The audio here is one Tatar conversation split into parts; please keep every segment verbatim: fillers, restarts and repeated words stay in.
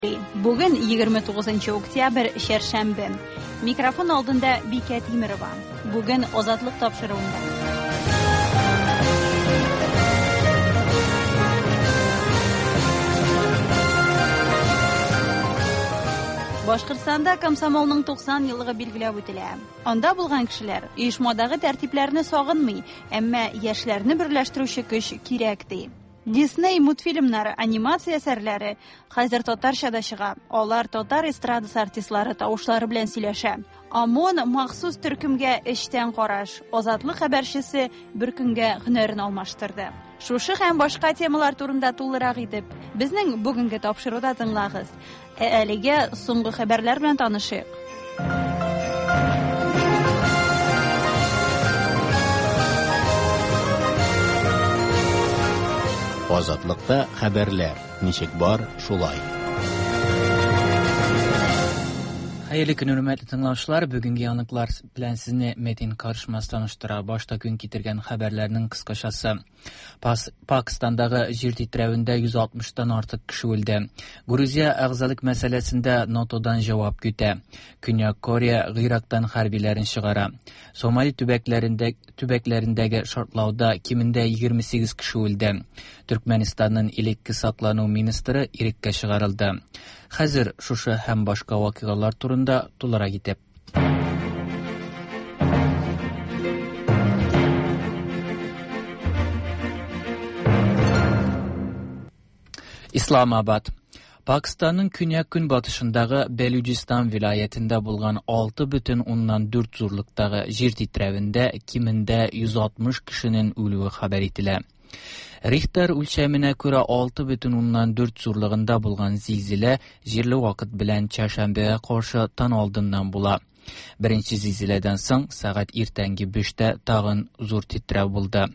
Бүген егерме тугызынчы октябрь, чәршәмбе. Микрофон алдында Бикә Тимерова. Бүген Азатлык тапшыруында. Башкортстанда комсомолның туксан еллыгы билгеләп үтелә. Анда булган кешеләр оешмадагы тәртипләрне сагынмый, әмма яшьләрне берләштерүче көч кирәк ди. Дисней мультфильмнары, анимация әсәрләре хәзер татарча да чыга. Алар татар эстрадасы артистлары тавышлары белән сөйләшә. ОМОН махсус төркемгә эчтән караш. Азатлык хәбәрчесе бер көнгә һөнәрен алмаштырды. Шушы һәм башка темалар турында тулырак итеп безнең бүгенге тапшыруда тыңлагыз. Ә әлегә соңгы хәбәрләр белән танышыйк. Азатлыкта хәбәрләр ничек бар шулай. Хәерле көн, хөрмәтле тыңлаучылар. Бүгенге яңалыклар белән сезне Метин Карышмас таныштыра. Башта көн китергән хәбәрләрнең кыскачасы. Пас-, Пакистандагы җир тетрәвендә йөз алтмыштан артык кеше үлде. Грузия әгъзалык мәсьәләсендә НАТОдан җавап көтә. Көньяк Корея Гыйрактан хәрбиләрен чыгара. Сомали төбәкләрендә, төбәкләрендәге шартлауда кимендә егерме сигез кеше үлде. Төркмәнистанның элекке саклану министры иреккә чыгарылды. Хәзер шушы һәм башка вакыйгалар турында тулырак итеп. Исламабад. Pakistan'ın künyak-günbatışındagı Belucistan vilayetinde bulgan altı bütün ondan dört zorluktagı җир titrәвендә кимендә йөз алтмыш кешенең үлүе хәбәр ителә. Рихтер үлчәменә күрә алты бүтән уннан дүрт зурлыгында булган зилзилә җирле вакыт белән чәршәмбегә каршы таң алдыннан була. Беренче зилзиләдән соң сәгать иртәнге биштә тагын зур тетрәү булды.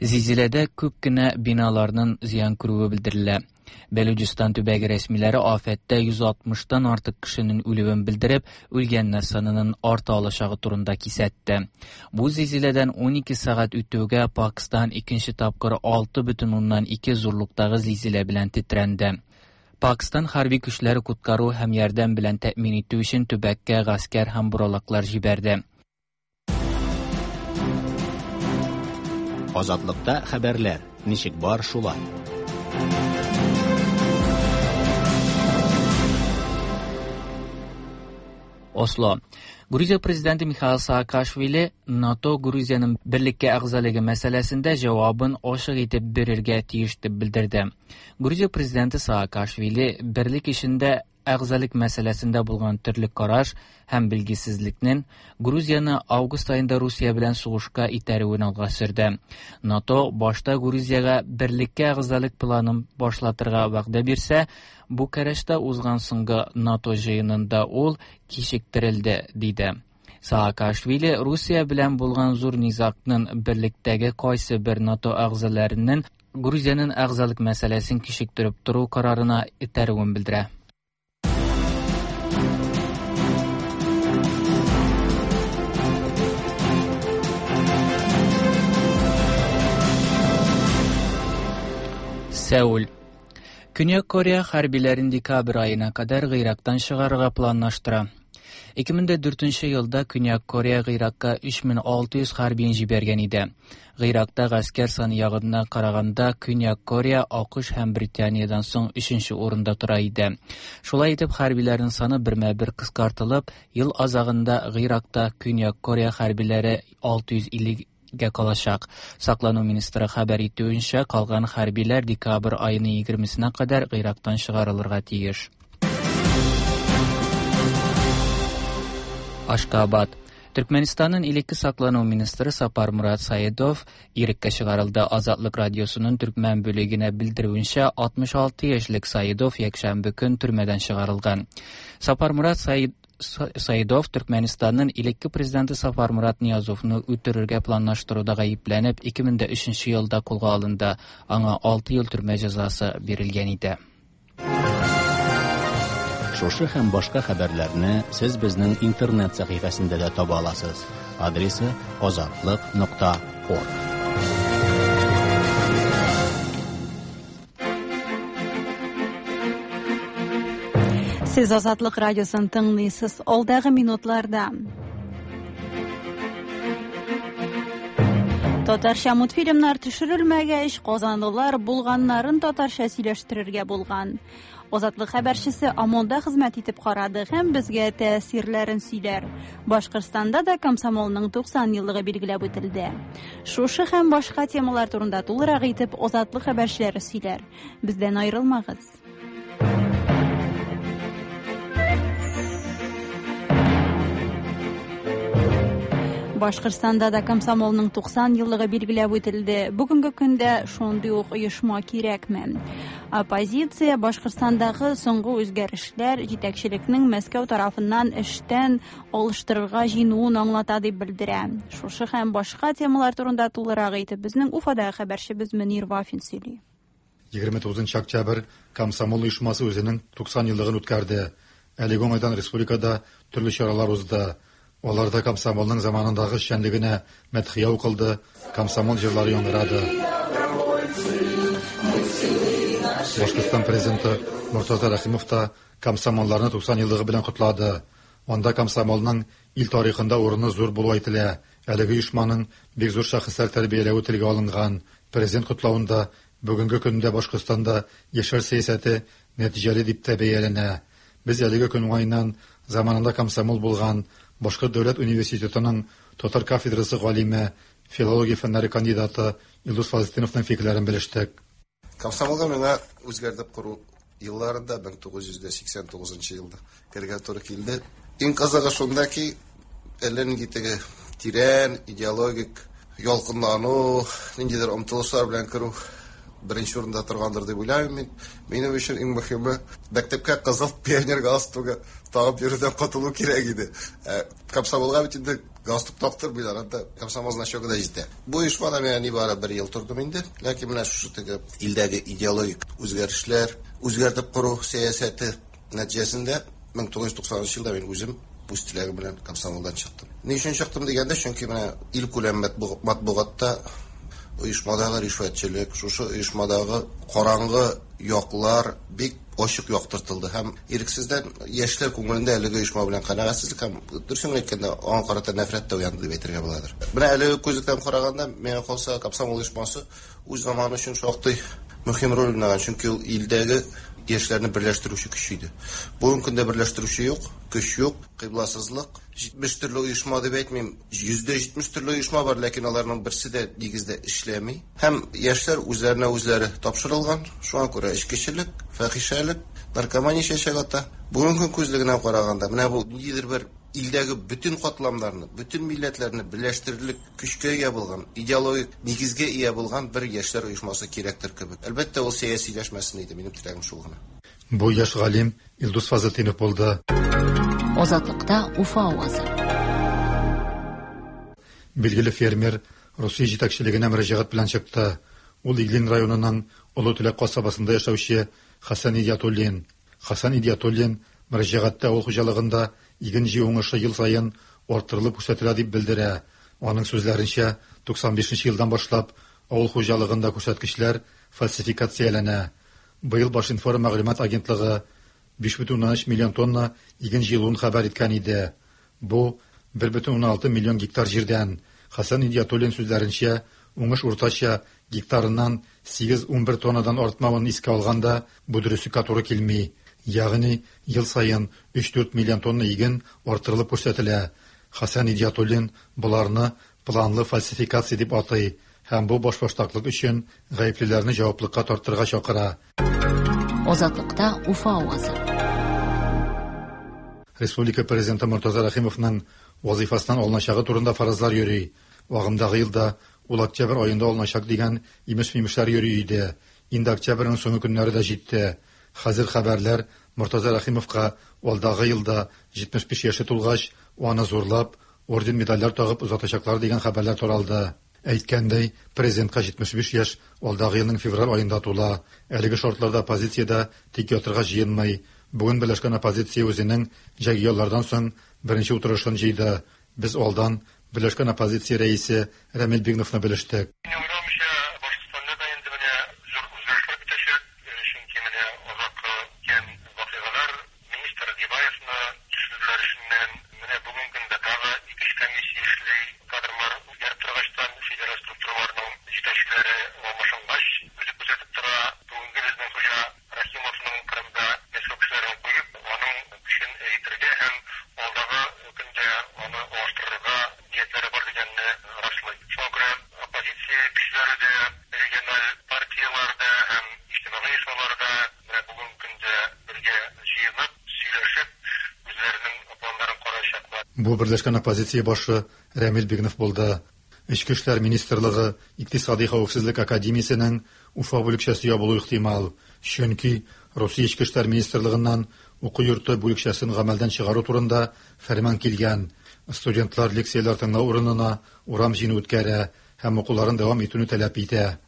Зилзиләдә күп кенә биналарның зыян күрүе белдерелә. Белуҗистан төбәге рәсмиләре афәттә йөз алтмыштан артык кешенең үлүен белдереп, үлгәннәр санының арта алачагы турында кисәтте. Бу зилзиләдән ун ике сәгать үтүгә Пакистан икенче тапкыр алты бүтән уннан ике зурлыктагы зилзилә белән тетрәнде. Пакистан хәрби көчләре коткару һәм ярдәм белән тәэмин итү өчен төбәккә гаскәр һәм буралаклар җибәрде. Азатлыкта хәбәрләр ничек бар шулай. Осло. Грузия президенты Михаил Саакашвили НАТО Грузиянең берлеккә әгъзалыгы мәсьәләсендә җавабын ачык итеп бирергә тиеш дип белдерде. Грузия президенты Саакашвили берлек эшендә әгъзалык мәсьәләсендә булган төрле караш һәм билгесезлекнең Грузияне август аенда Русия белән сугышка итәрүен алга сөрде. НАТО башта Грузиягә берлеккә әгъзалык планын башлатырга вәгъдә бирсә, Букарештта узган соңгы НАТО җыенында ул кичектерелде, диде. Саакашвили Русия белән булган зур низагның берлектәге кайсы бер НАТО әгъзаларының Грузиянең әгъзалык мәсьәләсен кичектереп тору карарына этәрүен белдерә. Сеул. Көньяк Корея хәрбиләрен декабрь аена кадәр Гыйрактан чыгарырга планлаштыра. Ике мең дә дүртенче елда Көньяк Корея Гыйракка өч мең алты йөз хәрбиен җибәргән иде. Гыйракта гаскәр саны ягыннан караганда Көньяк Корея АКШ һәм Британиядән соң өченче урында тора иде. Шулай итеп хәрбиләрнең саны бермә-бер кыскартылып, ел азагында Гыйракта Көньяк Корея хәрбиләре алты йөз илле гә калачак. Саклану министры хәбәр итүенчә, калган хәрбиләр декабрь аеның егермесенә кадәр Гыйрактан чыгарылырга тиеш. Ашкабад. Төркмәнистанның элекке саклану министры Сапар Мурат Саидов иреккә чыгарылды. Азатлык радиосының төркмән бүлегенә белдерүенчә, алтмыш алты яшьлек Саидов якшәмбе көн төрмәдән чыгарылган. Сапар Мурат Саид-, Саидов Төркмәнистанның элекке президенты Сапар Мурат Ниязовны үтерергә планлаштыруда гаепләнеп, ике мең дә өченче елда кулга алынды. Аңа алты ел төрмә җәзасы бирелгән иде. Шушы һәм башка хәбәрләрне сез безнең интернет сәхифәсендә дә таба аласыз. Адресы азатлык нокта орг. Сез Азатлык радиосын тыңлыйсыз. Алдагы минутларда татарча мультфильмнар төшерелмәгәч, казанлылар булганнарын татарча сөйләштерергә булган. Азатлык хәбәрчесе ОМОНда хезмәт итеп карады һәм безгә тәэсирләрен сөйләр. Башкортстанда да комсомолның туксан еллыгы билгеләп үтелде. Шушы һәм башка темалар турында тулырак итеп Азатлык хәбәрчеләре сөйләр. Бездән аерылмагыз. Башкортстанда да комсомолның туксан еллыгы билгеләп үтелде. Бүгенге көндә шундый ук оешма кирәкме? Оппозиция Башкортстандагы соңгы үзгәрешләр җитәкчелекнең Мәскәү тарафыннан эштән алыштырырга җыенуын аңлата дип белдерә. Шушы һәм башка темалар турында тулырак итеп безнең Уфадагы хәбәрчебез Мөнир Вафин сөйли. егерме тугызынчы октябрь комсомол оешмасы үзенең туксан еллыгын үткәрде. Әлеге уңайдан республикада төрле чаралар узды. Аларда комсомолның заманындагы эшчәнлегенә мәдхия укылды, комсомол җырлары яңгырады. Башкортстан президенты Муртаза Рәхимов та комсомолларны туксан еллыгы белән котлады. Анда комсомолның ил тарихында урыны зур булуы әйтелә. Әлеге оешманың бик зур шәхесләр тәрбияләве телгә алынган. Президент котлавында бүгенге көндә Башкортстанда яшьләр сәясәте нәтиҗәле дип тә бәяләнә. Без әлеге көн уңаеннан заманында комсомол булган Башкорт дәүләт университетының татар кафедрасы галиме, филология фәннәре кандидаты Илдус Фазлетдиновның фикерләрен белештек. Комсомолга миңа үзгәртеп кору елларында мең тугыз йөз сиксән тугызынчы елда керергә туры килде. Иң кызыгы шунда ки, әллә нинди теге тирән идеологик ялкынлану, ниндидер омтылышлар белән керү беренче урында торгандыр дип уйлыйм мин. Минем өчен иң мөһиме мәктәпкә кызыл пионер галстугы тагып йөрүдән котылу кирәк иде. Комсомолга бит инде галстук тактырмыйлар, анда комсомол значогы да җитә. Бу оешмада мин нибары бер ел тордым инде. Ләкин менә шушы теге илдәге идеологик үзгәрешләр, үзгәртеп кору сәясәте нәтиҗәсендә мең тугыз йөз туксанынчы елда мин үзем үз теләгем белән комсомолдан чыктым. Ни өчен чыктым дигәндә, чөнки менә ил күләм матбугатта оешмадагы ришвәтчелек, шушы оешмадагы караңгы яклар бик ачык яктыртылды һәм ирексездән яшьләр күңелендә әлеге оешма белән канәгатьсезлек һәм дөресен әйткәндә аңа карата нәфрәт тә уянды дип әйтергә буладыр. Менә әлеге күзлектән караганда, миңа калса, комсомол оешмасы үз заманы өчен шактый мөһим роль уйнаган, чөнки ул илдәге яшьләрне берләштерүче көч иде. Бүгенге көндә берләштерүче юк, көч юк, кыйбласызлык. Җитмеш төрле оешма дип әйтмим, йөздә җитмеш төрле оешма бар, ләкин аларның берсе дә нигездә эшләми. Һәм яшьләр үзләренә үзләре тапшырылган, шуңа күрә эчкечелек, фәхишәлек, наркомания чәчәк ата. Бүгенге көн күзлегеннән караганда, менә бу ниндидер бер илдәге бөтен катламнарны, бөтен милләтләрне берләштерерлек көчкә ия булган, идеологик нигезгә ия булган бер яшьләр оешмасы кирәктер кебек. Әлбәттә, ул сәясиләшмәсен иде, минем теләгем шул гына. Бу яшь галим Илдус Фазлетдинов булды. Азатлыкта Уфа авазы. Билгеле фермер Русия җитәкчелегенә мөрәҗәгать белән чыкты. Ул Иглин районының Олы Теләк касабасында яшәүче Хасан Идиатуллин. Хасан Идиатуллин мөрәҗәгатьтә авыл хуҗалыгында иген җыю уңышы ел саен арттырылып күрсәтелә дип белдерә. Аның сүзләренчә, туксан бишенче елдан башлап авыл хуҗалыгында күрсәткечләр фальсификацияләнә. Быел Башинформ мәгълүмат агентлыгы биш бөтен уннан өч миллион тонна иген җыелуын хәбәр иткән иде. Бу бер бөтен уннан алты миллион гектар җирдән. Хасан Идиатуллин сүзләренчә, уңыш уртача гектарыннан сигез унбер тоннадан артмавын искә алганда, бу дөреслеккә туры килми. Ягъни ел саен өч-дүрт миллион тонна иген арттырылып күрсәтелә. Хасан Идиатуллин боларны планлы фальсификация дип атый һәм бу башбаштаклык өчен гаеплеләрне җаваплылыкка тартырга чакыра. Азатлыкта Уфа авазы. Республика президенты Муртаза Рәхимовның вазифасыннан алыначагы турында фаразлар йөри. Агымдагы елда ул октябрь аенда алыначак дигән имеш-мимешләр йөри иде. Инде октябрьнең соңгы көннәре дә җитте. Хәзер хәбәрләр Муртаза Рәхимовка алдагы елда җитмеш биш яше тулгач, аны зурлап, орден медальләр тагып озатачаклар дигән хәбәрләр таралды. Әйткәндәй, президентка җитмеш биш яшь алдагы елның февраль аенда тула. Әлеге шартларда оппозициядә тик ятырга җыенмый. Бүген берләшкән оппозиция үзенең җәйге яллардан соң беренче утырышын җыйды. Без алдан берләшкән оппозиция рәисе Рәмил Бигновны белештек. Бу берләшкән оппозиция башы Рәмил Бигнов булды. Эчке эшләр министрлыгы Икътисади хәвефсезлек академиясенең Уфа бүлекчәсе ябылу ихтимал, чөнки Русия Эчке эшләр министрлыгыннан уку йорты бүлекчәсен гамәлдән чыгару турында фәрман килгән. Студентлар лекцияләр тыңлау урынына урам җыены үткәрә һәм укуларын дәвам итүне таләп итә.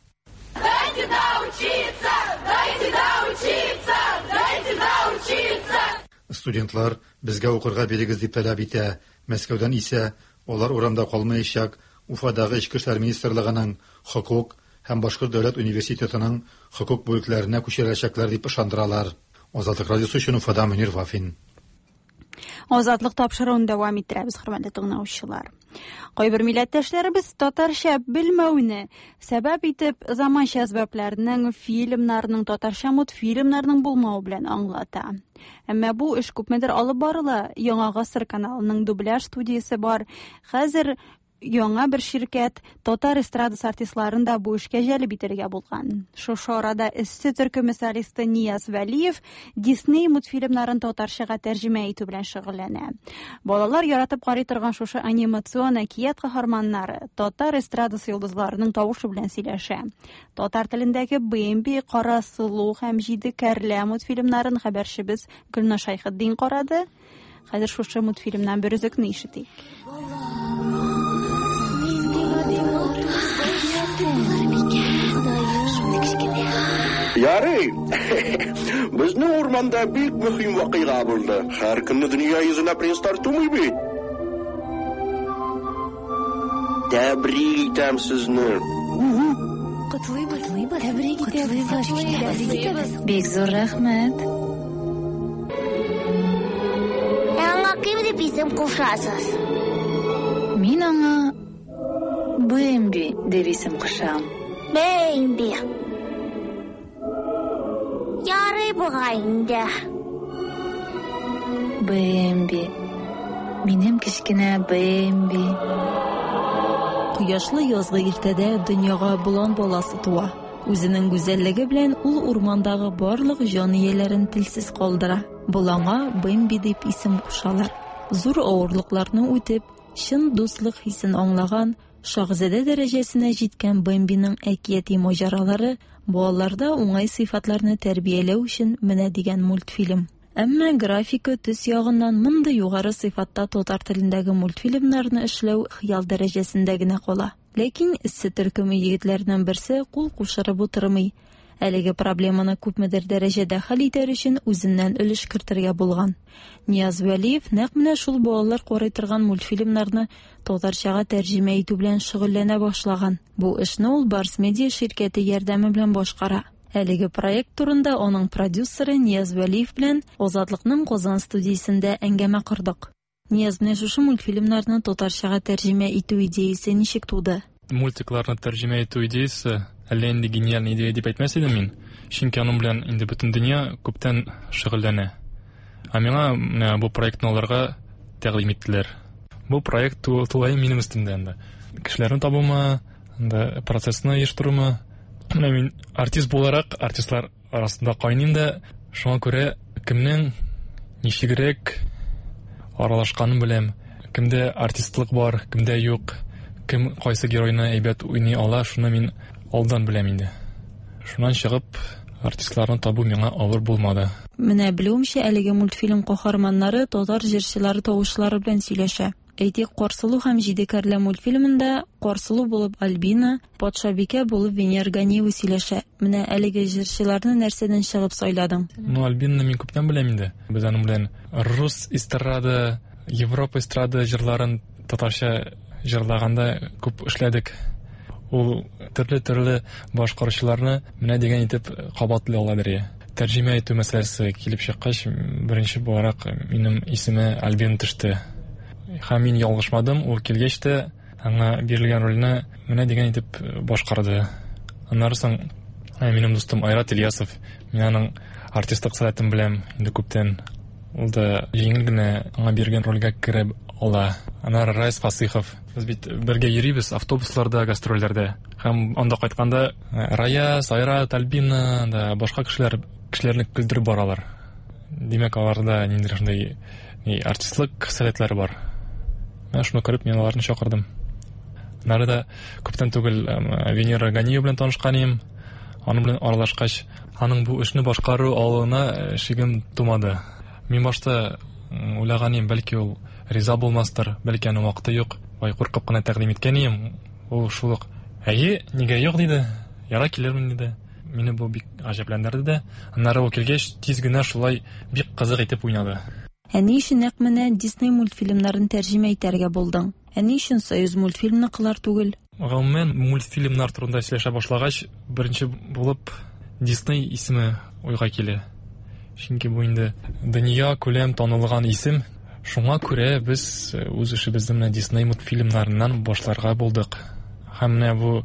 Дайте доучиться! Дайте доучиться! Дайте доучиться! Студентлар безгә укырга бирегез дип таләп итә. Мәскәүдән исә алар урамда калмаячак. Уфадагы Эчке эшләр министрлыгының хокук һәм Башкорт дәүләт университетының хокук бүлекләренә күчереләчәкләр дип ышандыралар. Азатлык радиосы өчен Уфада Мөнир Вафин. Азатлык тапшыруын дәвам иттерәбез, хөрмәтле тыңлаучылар. Кайбер милләттәшләребез татарча белмәүне сәбәп итеп заманча әсбапларның, фильмнарның, татарча мультфильмнарның булмавы белән аңлата. Әмма бу эш күпмедер алып барыла. Яңа Гасыр каналының дубляж студиясе бар. Хәзер яңа бер ширкәт татар эстрадасы артистларын да бу эшкә җәлеп итәргә булган. Шушы арада Эссе төркеме солисты Нияз Вәлиев Дисней мультфильмнарын татарчага тәрҗемә итү белән шөгыльләнә. Балалар яратып карый торган шушы анимацион әкият каһарманнары татар эстрадасы йолдызларының тавышы белән сөйләшә. Татар телендәге Бэмби, Кара сылу һәм Җиде кәрлә мультфильмнарын хәбәрчебез Гөлназ Шәйхетдин карады. Хәзер шушы мультфильмнан бер өзекне ишетик. Ярый, безнең урманда бик мөһим вакыйга булды. Һәр көнне дөнья йөзенә принцлар тумый бит. Тәбрик итәм сезне. Котлыйбыз, тәбрик итәбез. Бик зур рәхмәт. Ә аңа кем дип исем кушасыз? Мин аңа Бэмби дип исем кушам. Бэмби. Ярый бугай инде. Бэмби. Минем кечкенә Бэмби. Кояшлы язгы иртәдә дөньяга болан баласы туа. Үзенең гүзәллеге белән ул урмандагы барлык җан ияләрен телсез калдыра. Боланга Бэмби дип исем кушалар. Зур авырлыкларны үтеп, чын дуслык хисен аңлаган, шаһзадә дәрәҗәсенә җиткән Бэмбиның әкияти маҗаралары балаларда уңай сыйфатларны тәрбияләү өчен менә дигән мультфильм. Әмма графика төс ягыннан мондый югары сыйфатта татар телендәге мультфильмнарны эшләү хыял дәрәҗәсендә генә кала. Ләкин Эссе төркеме егетләренең берсе кул кушырып утырмый. Әлеге проблеманы күпмедер дәрәҗәдә хәл итәр өчен үзеннән өлеш кертергә булган. Нияз Вәлиев нәкъ менә шул балалар карый торган мультфильмнарны татарчага тәрҗемә итү белән шөгыльләнә башлаган. Бу эшне ул Барс Медиа ширкәте ярдәме белән башкара. Әлеге проект турында аның продюсеры Нияз Вәлиев белән Азатлыкның Казан студиясендә әңгәмә кордык. Нияз, менә шушы мультфильмнарны татарчага тәрҗемә итү идеясе ничек туды? Мультикларны тәрҗемә итү идеясе әллә инде гениаль идея дип әйтмәс идем мин. Чөнки аның белән инде бөтен дөнья күптән шөгыльләнә. Ә миңа менә бу проектны аларга тәкъдим иттеләр. Бу проект тулаем минем өстемдә инде. Кешеләрне табумы, инде процессны оештырумы. Менә мин артист буларак артистлар арасында кайныйм да, шуңа күрә кемнең ничегрәк аралашканын беләм. Кемдә артистлык бар, кемдә юк, кем кайсы геройны әйбәт уйный ала, шуны мин алдан беләм инде. Шуннан чыгып артистларны табу миңа авыр булмады. Менә белүемчә, әлеге мультфильм каһарманнары татар җырчылары тавышлары белән сөйләшә. Әйтик, Карсылу һәм Җиде кәрлә мультфильмында Карсылу булып Альбина, Патшабикә булып Венера Ганиева сөйләшә. Менә әлеге җырчыларны нәрсәдән чыгып сайладың? Ну, Альбинаны мин күптән беләм инде. Без аның белән рус эстрада, Европа эстрада җырларын татарча җырлаганда күп эшләдек. Ул төрле-төрле башкаручыларны менә дигән итеп кабатлый ала бирә. Тәрҗемә итү мәсьәләсе килеп чыккач, беренче буларак минем исеме Альбина төште. Һәм мин ялгышмадым, ул килгәч тә аңа бирелгән рольне менә дигән итеп башкарды. Аннары соң минем дустым Айрат Ильясов, мин аның артистлык сәләтен беләм инде күптән. Ул да җиңел генә аңа биргән рольгә кереп ала. Аннары Райс Фасыйхов. Без бит бергә йөрибез автобусларда, гастрольләрдә. Һәм анда кайтканда Раяз, Айрат, Альбина да башка кешеләр кешеләрне көлдереп баралар. Димәк, аларда ниндидер шундый артистлык сәләтләре бар. Менә шуны күреп, мин аларны чакырдым. Аннары да күптән түгел Венера Ганиева белән танышкан идем. Аның белән аралашкач, аның бу эшне башкару алуына шигем тумады. Мин башта уйлаган идем, бәлки ул риза булмастыр, бәлки аның вакыты юк. Бай куркып кына тәкъдим иткән идем. Ул шул ук, әйе, нигә юк диде, яра килермен диде. Мине бу бик гаҗәпләндерде дә. Аннары ул килгәч, тиз генә шулай бик кызык итеп уйнады. Ә ни өчен нәкъ менә Дисней мультфильмнарын тәрҗемә итәргә булдың? Ә ни өчен Союз мультфильмныкылар түгел? Гомумән, мультфильмнар турында сөйләшә башлагач, беренче булып Дисней исеме уйга килә. Чөнки бу инде дөнья күләм танылган исем. Шуңа күрә без үз эшебезне менә Дисней мультфильмнарыннан башларга булдык. Һәм менә бу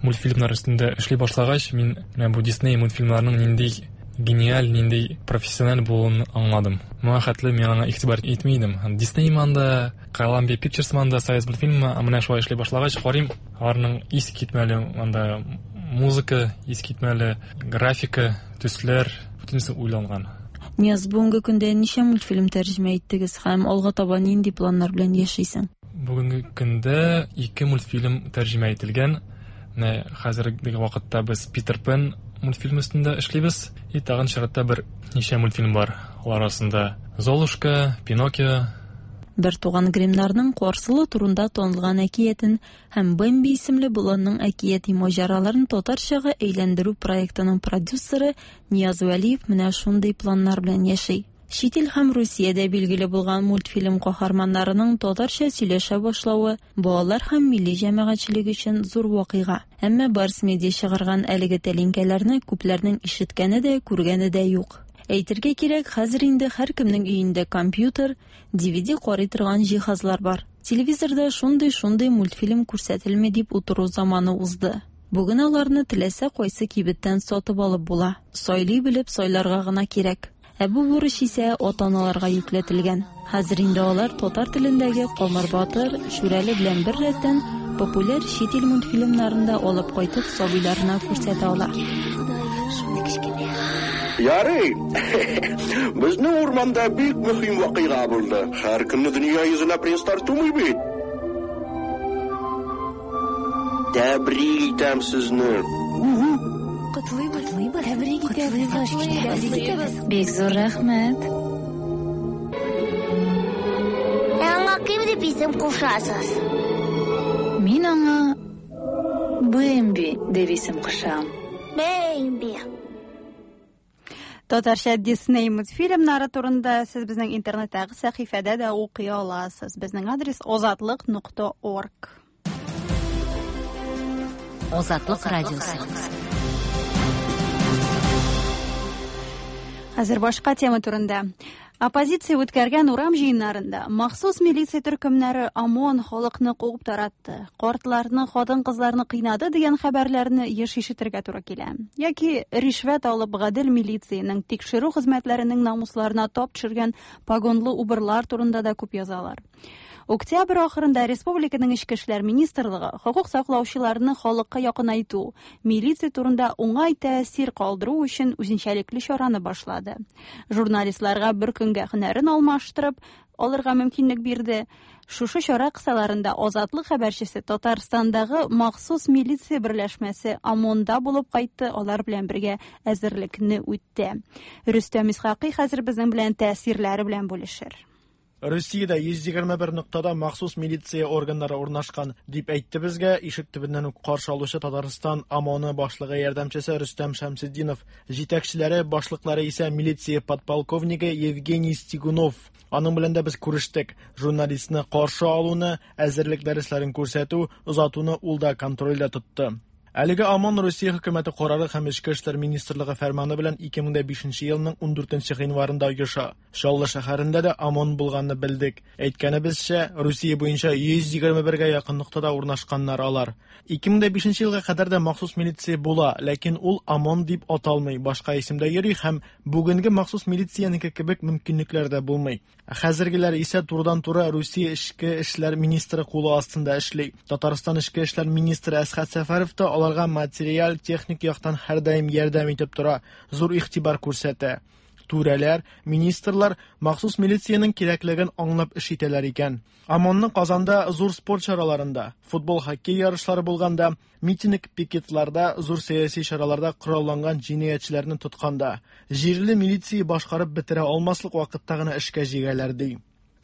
мультфильмнар өстендә эшли башлагач, мин менә бу Дисней мультфильмнарының нинди гениаль, нинди профессиональ булуын аңладым. Моңа хәтле мин аңа игътибар итми идем. Дисней манда, Columbia Pictures манда, Союз мультфильмы, менә шулай эшли башлагач, карыйм, аларның искитмәле анда музыка, искитмәле графика, төсләр, бөтенесе уйланган. Нияз, бүгенге көндә ничә мультфильм тәрҗемә иттегез һәм алга таба нинди планнар белән яшисең? Бүгенге көндә ике мультфильм тәрҗемә ителгән. Менә хәзерге вакытта без Питер Пен мультфильм өстендә эшлибез. И тагын чиратта бер ничә мультфильм бар. Алар арасында Золушка, Пиноккио. Бер туган Гримнарның Карсылы турында танылган әкиятен һәм Бэмби исемле боланның әкияти маҗараларын татарчага әйләндерү проектының продюсеры Нияз Вәлиев менә шундый планнар белән яши. Чит ил һәм Русиядә билгеле булган мультфильм каһарманнарының татарча сөйләшә башлавы балалар һәм милли җәмәгатьчелек өчен зур вакыйга. Әмма Барс Медиа чыгарган әлеге тәлинкәләрне күпләрнең ишеткәне дә, күргәне дә юк. Әйтергә кирәк, хәзер инде һәркемнең өендә компьютер, ди ви ди карый торган җиһазлар бар. Телевизорда шундый-шундый мультфильм күрсәтелми дип утыру заманы узды. Бүген аларны теләсә кайсы кибеттән сатып алып була. Сайлый белеп сайларга гына кирәк. Ә бу бурыч исә ата-аналарга йөкләтелгән. Хәзер инде алар татар телендәге Камыр Батыр, Шүрәле белән бер рәттән популяр чит ил мультфильмнарын да алып кайтып сабыйларына күрсәтә ала. Ярый, безнең урманда бик мөһим вакыйга булды. Һәр көнне дөнья йөзенә принцлар тумый бит. Тәбрик итәм сезне. Котлыйбыз, тәбрик итәбез. Бик зур рәхмәт. Ә аңа кем дип исем кушасыз? Мин аңа Бэмби дип исем кушам. Бэмби. Татарча Дисней мультфильмнары турында сез безнең интернеттагы сәхифәдә дә укый аласыз. Безнең адрес озатлык нокта орг. Озатлык радиосы. Хәзер башка тема турында. Оппозиция үткәргән урам җыеннарында махсус милиция төркемнәре ОМОН халыкны куып таратты, картларны, хатын-кызларны кыйнады дигән хәбәрләрне еш ишетергә туры килә. Яки ришвәт алып гадел милициянең тикшерү хезмәтләренең намусларына тап төшергән погонлы убырлар турында да күп язалар. Октябрь ахырында республиканың Эчке эшләр министрлыгы хокук саклаучыларны халыкка якынайту, милиция турында уңай тәэсир калдыру өчен үзенчәлекле чараны башлады. Журналистларга бер көнгә һөнәрен алмаштырып алырга мөмкинлек бирде. Шушы чара кысаларында Азатлык хәбәрчесе Татарстандагы махсус милиция берләшмәсе ОМОНда булып кайтты, алар белән бергә әзерлекне үтте. Рөстәм Исхакый хәзер безнең белән тәэсирләре белән бүлешер. Россиядә йөз егерме бер ноктада махсус милиция органнары урнашкан, дип әйтте безгә ишек төбеннән үк каршы алучы Татарстан ОМОНы башлыгы ярдәмчесе Рөстәм Шәмсетдинов. Җитәкчеләре, башлыклары исә милиция подполковнигы Евгений Стигунов. Аның белән дә без күрештек. Журналистны каршы алуны, әзерлек дәресләрен күрсәтү, озатуны ул да контрольдә тотты. Әлеге ОМОН Россия хөкүмәте карары һәм Эчке эшләр министрлыгы фәрманы белән ике мең бишенче елның ундүртенче гыйнварында оеша. Чаллы шәһәрендә дә ОМОН булганны белдек. Әйткәнебезчә, Россия буенча йөз егерме бергә якын ноктада урнашканнар алар. ике мең бишенче елга кадәр дә махсус милиция була, ләкин ул ОМОН дип аталмый, башка исемдә йөри һәм бүгенге махсус милициянеке кебек мөмкинлекләр дә булмый. Хәзергеләр исә турыдан-туры Россия Эчке эшләр министры кулы астында эшли. Татарстан Эчке эшләр министры Әсхәт Сәфәров та аларга материаль, техник яктан һәрдаим ярдәм итеп тора, зур игътибар күрсәтә. Түрәләр, министрлар махсус милициянең кирәклеген аңлап эш итәләр икән. ОМОНны Казанда зур спорт чараларында, футбол, хоккей ярышлары булганда, митинг, пикетларда, зур сәяси чараларда коралланган җинаятьчеләрне тотканда, җирле милиция башкарып бетерә алмаслык вакытта гына эшкә җигәләр ди.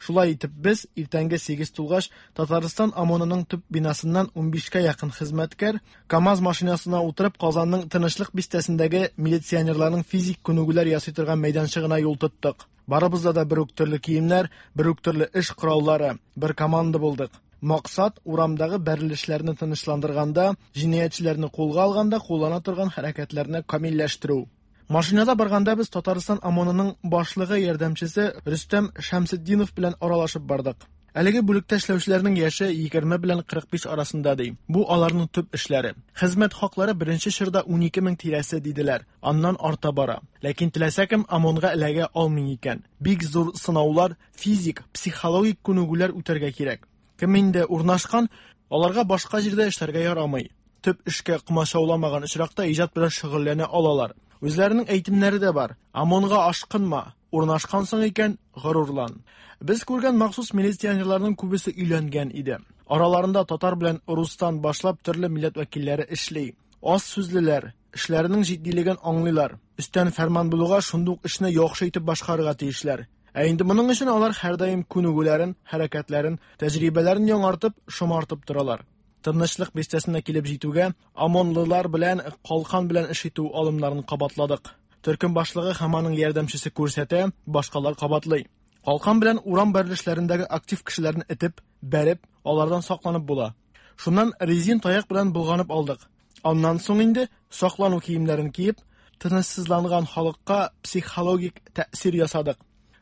Шулай итеп без иртәнге сигез тулгач Татарстан ОМОНының төп бинасыннан унбишкә якын хезмәткәр КАМАЗ машинасына утырып Казанның Тынычлык бистәсендәге милиционерларның физик күнегүләр ясый торган мәйданчыгына юл тоттык. Барыбызда да бер үк төрле киемнәр, бер үк төрле эш кораллары, бер команда булдык. Максат урамдагы бәрелешләрне тынычландырганда, җинаятьчеләрне кулга алганда куллана торган хәрәкәтләрне камилләштерү. Машинада барганда без Татарстан ОМОНының башлыгы ярдәмчесе Рөстәм Шәмсетдинов белән аралашып бардык. Әлеге бүлектә эшләүчеләрнең яше егерме белән кырык биш арасында ди. Бу аларның төп эшләре. Хезмәт хаклары беренче чорда унике мең тирәсе диделәр. Аннан арта бара. Ләкин теләсә кем ОМОНга эләгә алмый икән. Бик зур сынаулар, физик, психологик күнегүләр үтәргә кирәк. Кем инде урнашкан, аларга башка җирдә эшләргә ярамый. Төп эшкә комачауламаган очракта иҗат белән шөгыльләнә алалар. Үзләренең әйтемнәре дә бар. ОМОНга ашкынма, урнашкансың икән, горурлан. Без күргән махсус милиционерларның күбесе өйләнгән иде. Араларында татар белән рустан башлап төрле милләт вәкилләре эшли. Аз сүзлеләр, эшләренең җитдилеген аңлыйлар. Өстән фәрман булуга шундук эшне яхшы итеп башкарырга тиешләр. Ә инде моның өчен алар һәрдаим күнегүләрен, хәрәкәтләрен, тәҗрибәләрен яңартып, шомартып торалар. Тынычлык бистәсенә килеп җитүгә ОМОНлылар белән калкан белән эш итү алымнарын кабатладык. Төркем башлыгы һәм аның ярдәмчесе күрсәтә, башкалар кабатлый. Калкан белән урам бәрелешләрендәге актив кешеләрне этеп, бәреп, алардан сакланып була. Шуннан резин таяк белән булганып алдык. Аннан соң инде саклану киемнәрен киеп, тынычсызланган халыкка психологик тәэсир ясадык.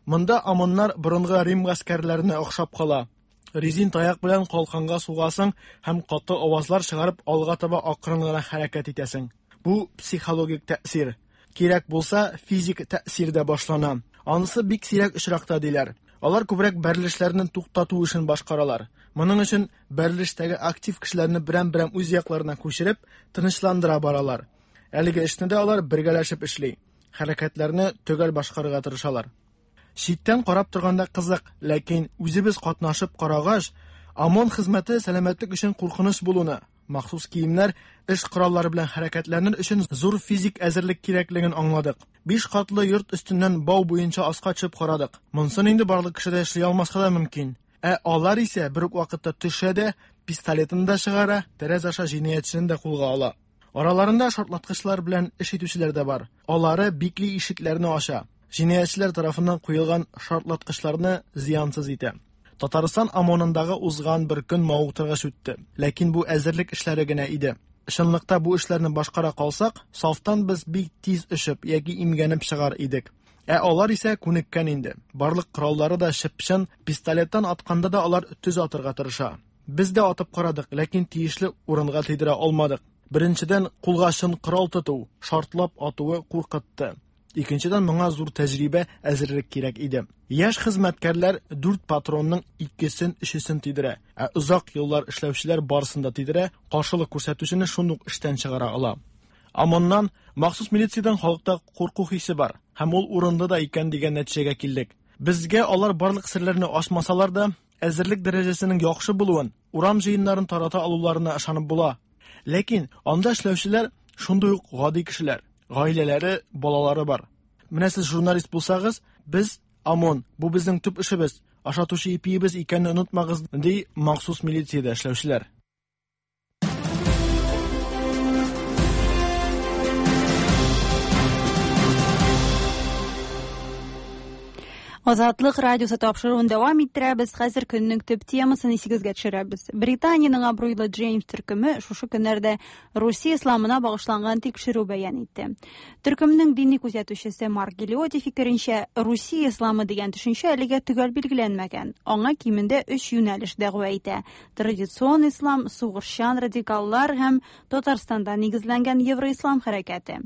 Монда ОМОНнар борынгы Рим гаскәрләренә охшап кала. Резин таяк белән калканга сугасың һәм каты авазлар чыгарып алга таба акрын гына хәрәкәт итәсең. Бу психологик тәэсир. Кирәк булса, физик тәэсир дә башлана. Анысы бик сирәк очракта диләр. Алар күбрәк бәрелешләрне туктату эшен башкаралар. Моның өчен бәрелештәге актив кешеләрне берәм-берәм үз якларына күчереп, тынычландыра баралар. Әлеге эшне дә алар бергәләшеп эшли. Хәрәкәтләрне төгәл башкарырга тырышалар. Читтән карап торганда кызык, ләкин үзебез катнашып карагач, ОМОН хезмәте сәламәтлек өчен куркыныч булуны, махсус киемнәр, эш кораллары белән хәрәкәтләнер өчен зур физик әзерлек кирәклеген аңладык. Биш катлы йорт өстеннән бау буенча аска төшеп карадык. Монсын инде барлык кеше дә эшли алмаска да мөмкин. Ә алар исә бер үк вакытта төшә дә, пистолетын да чыгара, тәрәзә аша җинаятьчене дә кулга ала. Араларында шартлаткычлар белән эш итүчеләр дә бар. Алары бикле ишекләрне ача. Җинаятьчеләр тарафыннан куелган шартлаткычларны зыянсыз итә. Татарстан ОМОНындагы узган бер көн мавыктыргыч үтте. Ләкин бу әзерлек эшләре генә иде. Чынлыкта бу эшләрне башкара калсак, сафтан без бик тиз өшеп яки имгәнеп чыгар идек. Ә алар исә күнеккән инде. Барлык кораллары да чып-чын, пистолеттан атканда да алар төз атырга тырыша. Без дә атып карадык, ләкин тиешле урынга тидерә алмадык. Беренчедән, кулга чын корал тоту, шартлап атуы куркытты. Икенчедән, моңа зур тәҗрибә, әзерлек кирәк иде. Яшь хезмәткәрләр дүрт патронның икесен, өчесен тидерә, ә озак еллар эшләүчеләр барысын да тидерә, каршылык күрсәтүчене шундук эштән чыгара ала. ОМОНнан, махсус милициядән халыкта курку хисе бар һәм ул урынлы да икән дигән нәтиҗәгә килдек. Безгә алар барлык серләрне ачмасалар да, әзерлек дәрәҗәсенең яхшы булуын, урам җыеннарын тарата алуларына ышанып була. Ләкин анда эшләүчеләр шундый ук гади кешеләр. Гаиләләре, балалары бар. Менә сез журналист булсагыз, без ОМОН, бу безнең төп эшебез, ашатучы ипиебез икәнен онытмагыз, ди махсус милициядә эшләүчеләр. Азатлык радиосы тапшыруын дәвам иттерәбез. Хәзер көннең төп темасын исегезгә төшерәбез. Британиянең абруйлы Джеймс төркеме шушы көннәрдә Русия исламына багышланган тикшерү бәян итте. Төркемнең дини күзәтүчесе Марк Гилиоти фикеренчә, Русия исламы дигән төшенчә әлегә төгәл билгеләнмәгән. Аңа кимендә өч юнәлеш дәгъва итә: традицион ислам, сугышчан радикаллар һәм Татарстанда нигезләнгән евроислам хәрәкәте.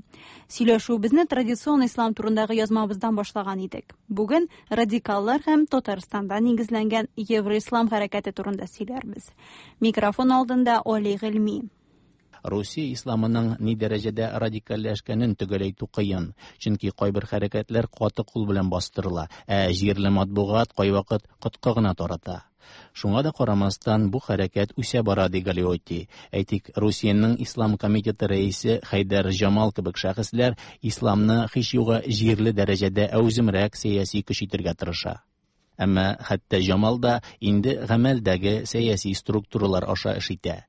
Сөйләшүебезне традицион ислам турындагы язмабыздан башлаган идек. Бүген радикаллар һәм Татарстанда нигезләнгән евроислам хәрәкәте турында сөйләрбез. Микрофон алдында Оли Гыйльми. Русия исламының ни дәрәҗәдә радикальләшкәнен төгәл әйтү кыен, чөнки кайбер хәрәкәтләр каты кул белән бастырыла, ә җирле матбугат кайвакыт коткы гына тарата. Шуңа да карамастан бу хәрәкәт үсә бара, ди Галиотти. Әйтик, Русиянең Ислам комитеты рәисе Хәйдәр Җамал кебек шәхесләр исламны һич югы җирле дәрәҗәдә әүземрәк сәяси көч итәргә тырыша. Әмма хәтта Җамал да инде гамәлдәге сәяси структуралар аша эш итә.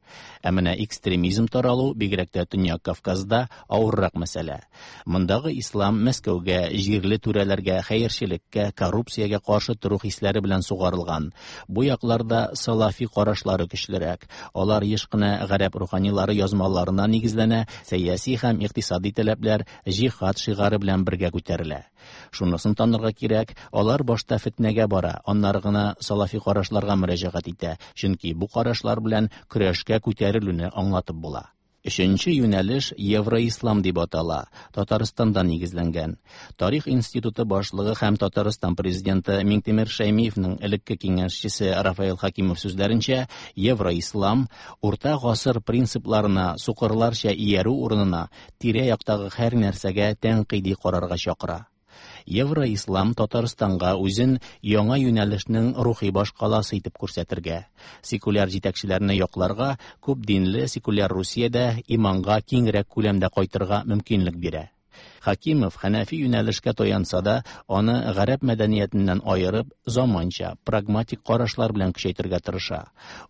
Ә менә экстремизм таралу, бигрәк тә Төньяк Кавказда, авыррак мәсьәлә. Мондагы ислам Мәскәүгә, җирле түрәләргә, хәерчелеккә, коррупциягә каршы тору хисләре белән сугарылган. Бу якларда салафи карашлары көчлерәк. Алар еш кына гарәп руханилары язмаларына нигезләнә, сәяси һәм икътисади таләпләр җихад шигаре белән бергә күтәрелә. Шунысын танырга кирәк, алар башта фетнәгә бара, аннары гына салафи карашларга мөрәҗәгать итә, чөнки бу карашлар белән көрәшкә күтәрелүне аңлатып була. Өченче юнәлеш Евроислам дип атала, Татарстанда нигезләнгән. Тарих институты башлыгы һәм Татарстан президенты Миңтимер Шәймиевның элекке киңәшчесе Рафаэл Хакимов сүзләренчә, Евроислам урта гасыр принципларына сукырларча иярү урынына тирә-яктагы һәр нәрсәгә тәнкыйди карарга чакыра. Евроислам Татарстанга үзен яңа юнәлешнең рухи башкаласы итеп күрсәтергә, секуляр җитәкчеләрне якларга, күп динле секуляр Русиядә иманга киңрәк күләмдә кайтырга мөмкинлек бирә. Хакимов хәнәфи юнәлешкә таянса да, аны гарәп мәдәниятеннән аерып, заманча, прагматик карашлар белән көчәйтергә тырыша.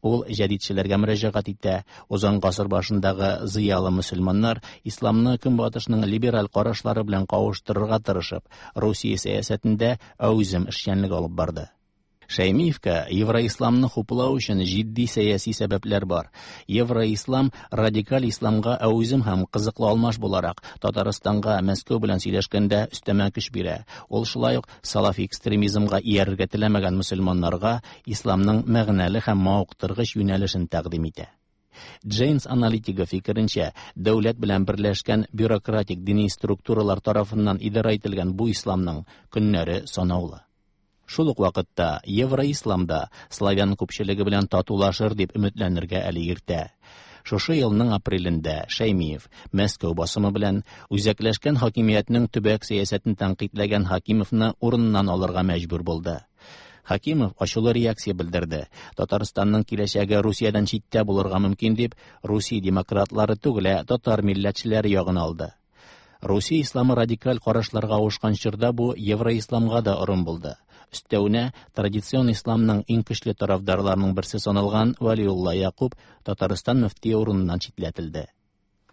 Ул җәдидчеләргә мөрәҗәгать итә. Узган гасыр башындагы зыялы мөселманнар исламны көнбатышның либераль карашлары белән кавыштырырга тырышып, Русия сәясәтендә әүзем эшчәнлек алып барды. Шәймиевкә евроисламны хуплау өчен җитди сәяси сәбәпләр бар. Евроислам радикаль исламга әүзем һәм кызыклы алмаш буларак Татарстанга Мәскәү белән сөйләшкәндә өстәмә көч бирә. Ул шулай ук салафи экстремизмга иярергә теләмәгән мөселманнарга исламның мәгънәле һәм мавыктыргыч юнәлешен тәкъдим итә. Джейнс аналитигы фикеренчә, дәүләт белән берләшкән бюрократик дини структуралар тарафыннан идарә ителгән бу исламның көннәре санаулы. Шул ук вакытта Евроисламда славян күпчелеге белән татулашыр дип өметләнергә әле иртә. Шушы елның апрелендә Шәймиев Мәскәү басымы белән үзәкләшкән хакимиятнең төбәк сәясәтен тәнкыйтьләгән Хакимовны урыннан алырга мәҗбүр булды. Хакимов ачулы реакция белдерде. Татарстанның киләчәге Русиядән читтә булырга мөмкин дип, Русия демократлары түгел, ә татар милләтчеләре ягын алды. Русия исламы радикаль карашларга авышкан чорда бу евроисламга да орын булды. Өстәвенә, традицион исламның иң көчле тарафдарларының берсе саналган Вәлиулла Якуб Татарстан мөфтие урыныннан читләтелде.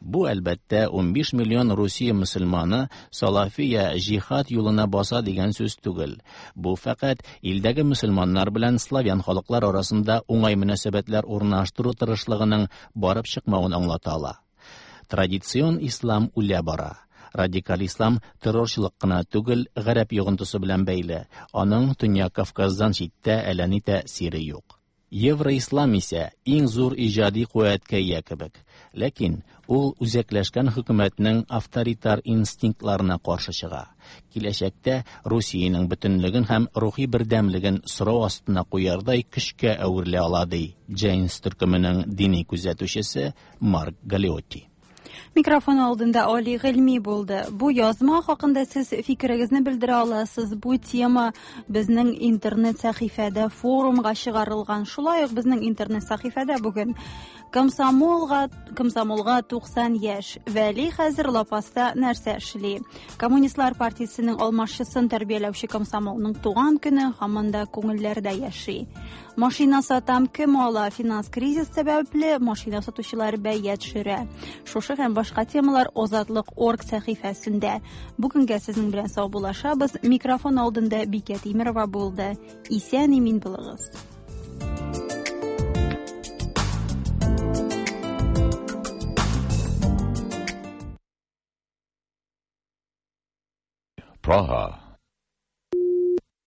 Бу әлбәттә унбиш миллион Русия мөселманы салафия җихад юлына баса дигән сүз түгел. Бу фәкать илдәге мөселманнар белән славян халыклар арасында уңай мөнәсәбәтләр урнаштыру тырышлыгының барып чыкмавын аңлата ала. Традицион ислам үлә бара. Радикаль ислам террорчылык кына түгел, гарәп йогынтысы белән бәйле. Аның Төньяк Кавказдан читтә әллә ни тәэсире юк. Евроислам исә иң зур иҗади куәткә ия кебек. Ләкин ул үзәкләшкән хөкүмәтнең авторитар инстинктларына каршы чыга. Киләчәктә Русиянең бөтенлеген һәм рухи бердәмлеген сорау астына куярдай көчкә әверелә ала, ди Джейнс төркеменең дини күзәтүчесе Марк Галиотти. Микрофон алдында Али Гыйльми булды. Бу язма хакында сез фикерегезне белдерә аласыз. Бу тема безнең интернет сәхифәдә форумга чыгарылган. Шулай ук безнең интернет сәхифәдә бүген Комсомолга, комсомолга туксан яшь. Вәли хәзер лапаста нәрсә эшли? Коммунистлар партиясенең алмашчысын тәрбияләүче комсомолның туган көне һаман да күңелләрдә яши. Машина сатам кем ала? Финанс кризис сәбәпле машина сатучылар бәя төшерә. Шушы һәм башка темалар Озатлык орг сәхифәсендә. Бүгенгә сезнең белән саубуллашабыз. Микрофон алдында Бикә Тимирова булды. Исән имин булыгыз. Praha.